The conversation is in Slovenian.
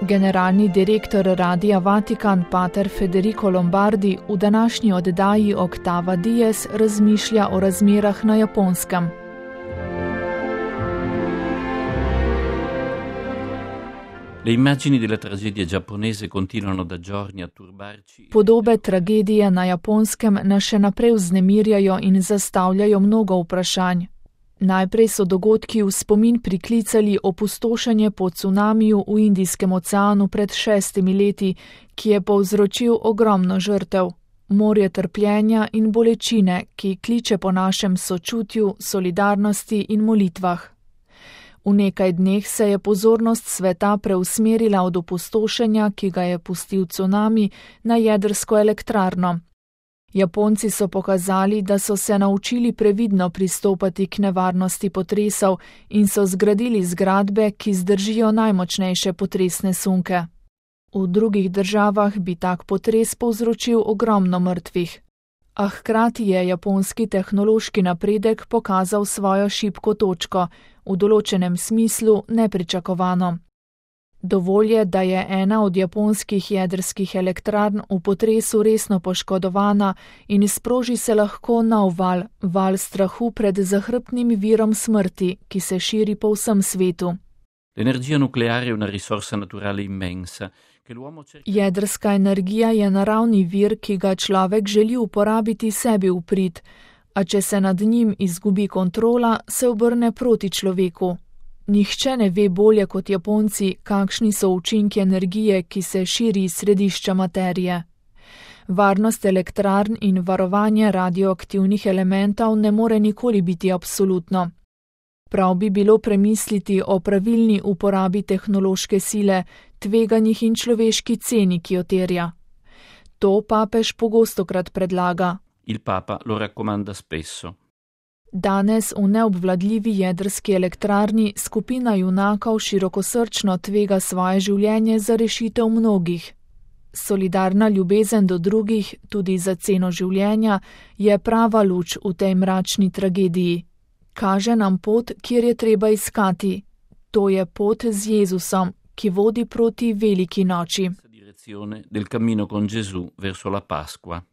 Generalni direktor Radia Vatikan pater Federico Lombardi v današnji oddaji Octava Dies razmišlja o razmerah na Japonskem. Le immagini della tragedia giapponese continuano da giorni a turbarci. Podobe tragedije na Japonskem nas še naprej vznemirjajo in zastavljajo mnogo vprašanj. Najprej so dogodki v spomin priklicali opustošenje po cunamiju v Indijskem oceanu pred 6 leti, ki je povzročil ogromno žrtev, morje trpljenja in bolečine, ki kliče po našem sočutju, solidarnosti in molitvah. V nekaj dneh se je pozornost sveta preusmerila od opustošenja, ki ga je pustil cunami, na jedrsko elektrarno. Japonci so pokazali, da so se naučili previdno pristopati k nevarnosti potresov in so zgradili zgradbe, ki zdržijo najmočnejše potresne sunke. V drugih državah bi tak potres povzročil ogromno mrtvih. A hkrati je japonski tehnološki napredek pokazal svojo šibko točko, v določenem smislu nepričakovano. Dovolj je, da je ena od japonskih jedrskih elektrarn v potresu resno poškodovana in sproži se lahko nov val strahu pred zahrbtnim virom smrti, ki se širi po vsem svetu. L'energia nucleare è una risorsa naturale immensa. Jedrska energija je naravni vir, ki ga človek želi uporabiti sebi v prid, a če se nad njim izgubi kontrola, se obrne proti človeku. Nihče ne ve bolje kot Japonci, kakšni so učinki energije, ki se širi iz središča materije. Varnost elektrarn in varovanje radioaktivnih elementov ne more nikoli biti absolutno. Prav bi bilo premisliti o pravilni uporabi tehnološke sile, tveganjih in človeški ceni, ki jo terja. To papež pogostokrat predlaga. Il Papa lo raccomanda spesso. Danes v neobvladljivi jedrski elektrarni skupina junakov širokosrčno tvega svoje življenje za rešitev mnogih. Solidarna ljubezen do drugih, tudi za ceno življenja, je prava luč v tej mračni tragediji. Kaže nam pot, kjer je treba iskati. To je pot z Jezusom, ki vodi proti veliki noči. Direzione del cammino con Gesù verso la Pasqua.